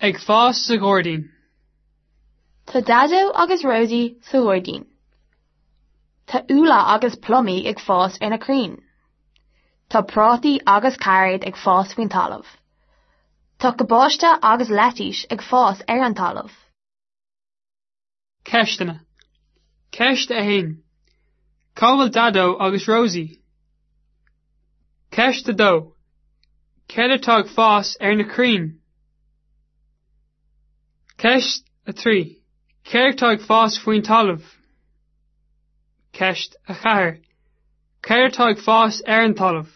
Ag fás sa ghairdín. Tá Daideo agus Rosie sa ghairdín. Tá úlla agus plumaí ag fás ar na crainn. Tá prátaí agus cairéid ag fás faoin talamh. Tá cabáiste agus leitís ag fás ar an talamh. Ceisteanna. Ceist 1. Cá bhfuil Daideo agus Rosie? Ceist 2. Céard atá ag fás ar na crainn? Ceist 3. Céard atá ag fás faoin talamh? Ceist 4. Céard atá ag fás ar an talamh?